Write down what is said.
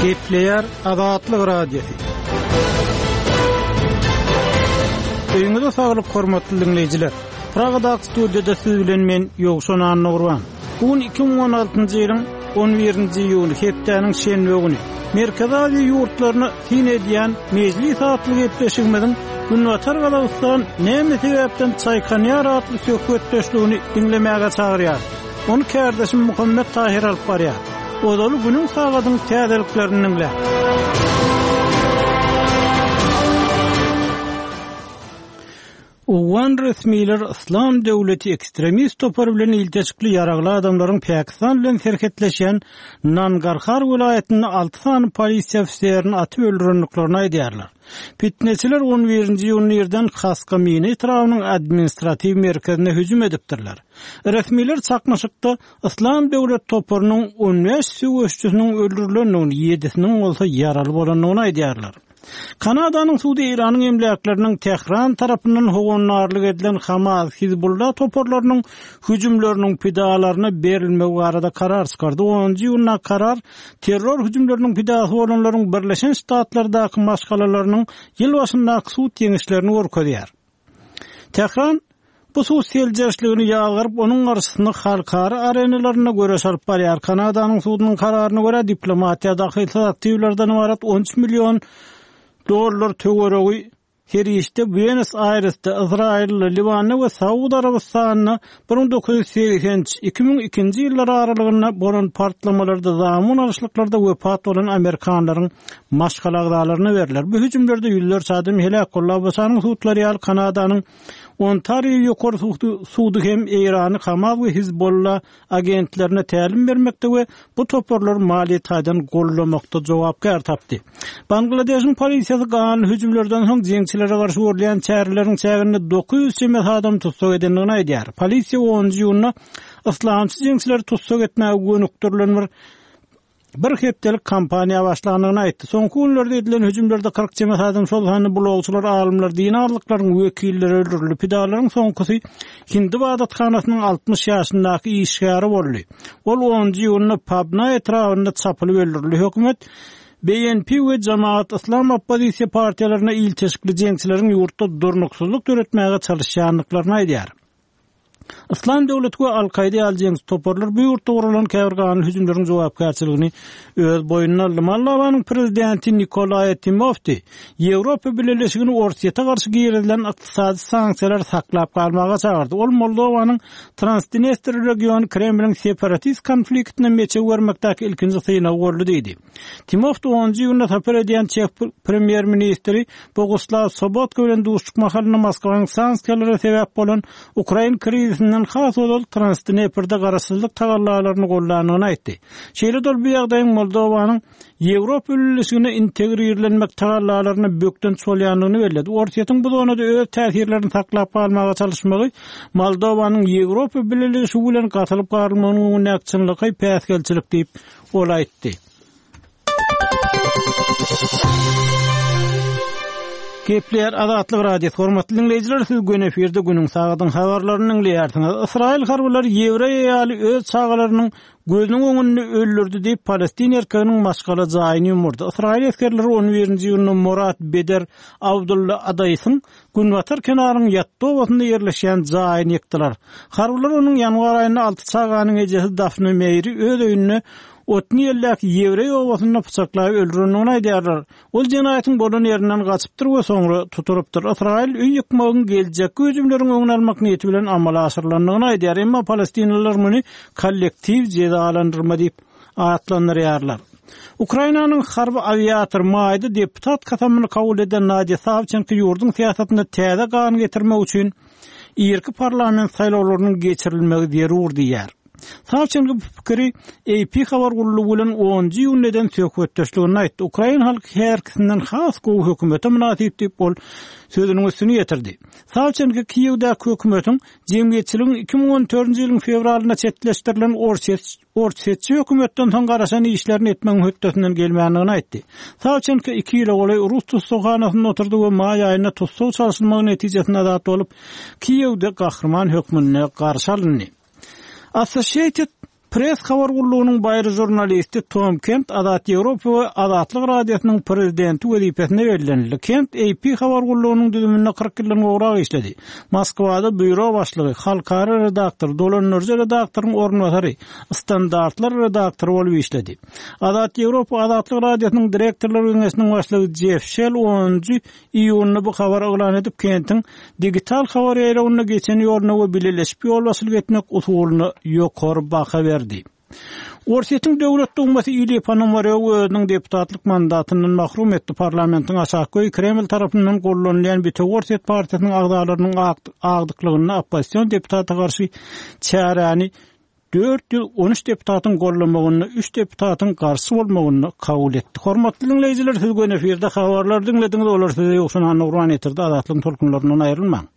Gepleýär Azatlyk Radiosy. Öýüňize saglyk hormatly diňleýjiler. Pragadaky studiýada siz bilen men Ýowşan Annagurban. Bu gün 2016-njy ýylyň 11-nji iýuny hepdäniň şenbe güni. Merkezi Aziýa ýurtlaryna syn edýän Mejlis atly gepleşigimiziň Günbatar Gazagystan näme sebäpden çaýkanýar atly söhbetdeşligini diňlemäge çagyrýar. Ony kärdeşim Muhammet Tahyr alyp barýar. Ozaly günüň sagadyň täzeliklerini diňläň. Owgan resmiler Yslam döwleti ekstremist topary bilen ilteşikli ýaragly adamlaryň Pakistan bilen serhetleşýän Nangarhar welaýatynda alty sany polisiýa ofiserini atyp öldürendiklerini aýdýarlar. Pitneçiler on birinji iýunda irden Haska Mina etrabynyň administratiw merkezine hüjüm edipdirler. Resmiler çaknyşykda Yslam döwlet toparynyň on bäş söweşçisiniň öldürilendigini, ýedisiniň bolsa ýaraly bolandygyny aýdýarlar. Kanadanyň sudy Eýranyň emläkleriniň Tähran tarapyndan howandarlyk edilen Hamas, Hizbullah toparlarynyň hüjümleriniň pidalaryna berilmegi barada karar çykardy. Onunjy iýunda karar terror hüjümleriniň pidasy bolanlaryň Birleşen Ştatlardaky maşgalalarynyň ýyl başyndaky sud ýeňişlerini görkezýär. Tähran bu sud seljerişligini ýazgaryp, onuň garşysyna halkara arenalarynda göreş alyp barýar. Kanadanyň sudunyň kararyna görä, diplomatiýa dahylsyz aktiwlerden ybarat 13 million dollar töweregi serişde Buenos-Aýresde, Ysraýylda, Liwanda we Saud Arabystanynda 1983, 2002-nji ýyllar aralygynda bolan partlamalarda, zamun alyşlyklarda wepat bolan amerikanlaryň maşgala agzalaryna berler. Bu hüjümlerde ýüzlerçe adam heläk boldy. ABŞ-nyň sudlary ýaly Kanadanyň Ontario ýokary sudy hem Eýrany Hamas we Hizbolla agentlerine tälim bermekde we bu toparlary maliýe taýdan goldamakda jogapkär tapdy. Bangladeşiň polisiýasy ganly hüjümlerden soň jeňçilere garşy görülýän çäreleriň çäginde 900 çemesi adamy tussag edendigini aýdýar. Polisiýa onunjy iýunda yslamçy jeňçileri tussag etmäge gönükdirilen bir bir hepdelik kampaniýa başlandygyny aýtdy. Soňky günlerde edilen hüjümlerde 40 çemesi adam, şol sanda blogçylar, alymlar, dini azlyklaryň wekilleri öldürildi. Pidalaryň soňkusy hindi ybadathanasynyň 60 ýaşyndaky işgäri boldy. Ol onunjy iýunda Pabna etrabynda çapylyp öldürildi. Hökümet BNP we Jamaat Yslam oppozisiýa partiýalaryna ilteşikli jeňçileriň ýurtda durnuksyzlyk döretmäge çalyşýandyklaryny aýdýar. Yslam döwleti we Al-Kaýda ýaly jeňçi toparlar bu ýurtda guralan käbir ganly hüjümleriň jogapkärçiligini öz boýnuna aldy. Moldowanyň prezidenti Nikolae Timofti Ýewropa Bileleşigini Orsýete garşy girizilen ykdysady sanksiýalary saklap galmaga çagyrdy. Ol Moldowanyň Transdnestr regiony Kremliň separatist konfliktine meçew bermekdäki ilkinji synagy boldy diýdi. Timofti onunjy iýunda sapar edýän çeh premýer-ministri Boguslaw Sobotka bilen duşuşyk mahalynda Moskwanyň sanksiýalara sebäp bolan ukrain krizisinden has ozal Transdneprde garaşsyzlyk tagallalaryny goldandygyny aýtdy. Şeýle-de ol bu ýagdaýyň Moldowanyň Ýewropa Bileleşigine integrirlenmek tagallalaryna bökdenç bolýandygyny belledi. Orsýetiň bu zonada öz täsirlerini saklap galmaga çalyşmagy Moldowanyň Ýewropa Bileleşigi bilen gatylyp-garylmagynyň öňündäki çynlakaý päsgelçilik diýip, ol aýtdy. Gepleýär Azatlyk Radiosy. Hormatly diňleýjiler, siz göni efirde günüň sagadyň habarlaryny diňleýärsiňiz. Ysraýyl harbylary ýewreý aýaly öz çagalarynyň gözüniň öňünde öldürdi diýip, palestin erkeginiň maşgala jaýyny ýumurdy. Ysraýyl esgerleri on birinji iýunda Morat Beder Abdulla Adaýsyň Günbatar kenaryň Ýatda obasynda ýerleşýän jaýyny ýykdylar. Harbylar onuň ýanwar aýynda alty çaganyň ejesi Dafne Meýri öz öýünde Otniýeldäki ýewreý obasynda pyçaklap öldürendigini aýdýarlar. Ol jenaýatyň bolan ýerinden gaçypdyr we soňra tutulypdyr. Ysraýyl öý ýykmagyň geljekki hüjümleriň öňüni almak niýeti bilen amala aşyrylandygyny aýdýar, emma palestinalylar muny kollektiw jezalandyrma diýip atlandyrýarlar. Ukrainanyň harby awiatory maýda deputat kasamyny kabul eden Nadiýa Sawçenko ýurduň syýasatynda täze gan getirmek üçin irki parlament saýlawlarynyň geçirilmegi zerur diýýär. Sawçenko bu pikiri AP habar gullugy bilen onunjy iýunda eden söhbetdeşliginde aýtdy. Ukrain halky häzirkisinden has gowy hökümete mynasyp diýip, ol sözüniň üstüni ýetirdi. Sawçenko Kiýewdäki hökümetiň jemgyýetçiligiň 2014-nji ýylyň fewralynda çetleşdirilen Orsýet Orsýetçi hökümetden soň garaşan işlerini etmegiň hötdesinden gelmändigini aýtdy. Sawçenko iki ýyla golaý rus tussaghanasynda oturdy we maý aýynda tussag çalşylmagy netijesinde azat bolup, Kiýewde gahryman hökmünde garşy alyndy. Associated. Press habar gullugynyň baýry žurnalisti Tom Kent Azat Ýewropa we Azatlyk Radiosynyň prezidenti wezipesine bellenildi. Kent AP habar gullugynyň düzüminde 40 ýyldan gowrak işledi. Moskwada býuro başlygy, halkara redaktor, dolandyryjy redaktoryň orunbasary, standartlar redaktory bolup işledi. Azat Ýewropa Azatlyk Radiosynyň direktorlar geňeşiniň başlygy Jeff Şell onunjy Iýunda bu habary yglan edip, Kentiň digital habar ýaýrawynda geçen ýoluna we bileleşip ýolbaşçylyk etmek usulyna ýokary baha berdi. Orsýetiň Döwlet Dumasy Ilýa Ponomarýowy özüniň deputatlyk mandatyndan mahrum etdi. Parlamentiň aşakgy öýi Kreml tarapyndan gollanylýan Bitewi Orsýet partiýasynyň agzalarynyň agdyklygynda oppozision deputata garşy çäräni 413 deputatyň gollamagynda, üç deputatyň garşy bolmagynda kabul etdi. Hormatly diňleýjiler, siz göni efirde habarlary diňlediňiz, olary size Ýowşan Annagurban ýetirdi. Azatlygyň tolkunlaryndan aýrylmaň.